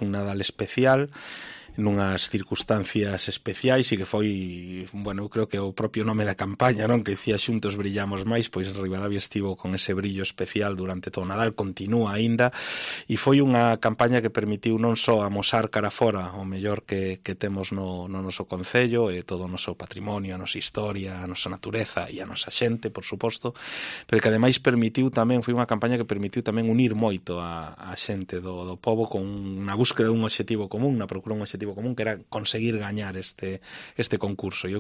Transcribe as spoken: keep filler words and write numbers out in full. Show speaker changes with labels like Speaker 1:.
Speaker 1: un Nadal especial, nunhas circunstancias especiais, e que foi, bueno, eu creo que o propio nome da campaña, non, que dicía Xuntos brillamos máis, pois Ribadavia estivo con ese brillo especial durante todo o Nadal, continúa aínda, e foi unha campaña que permitiu non só amosar cara fora o mellor que, que temos no, no noso concello e todo o noso patrimonio, a nosa historia, a nosa natureza e a nosa xente, por suposto, pero que ademais permitiu tamén, foi unha campaña que permitiu tamén unir moito a, a xente do, do pobo con unha búsqueda dun obxectivo común, na procura dun obxectivo común, que era conseguir gañar este, este concurso. Eu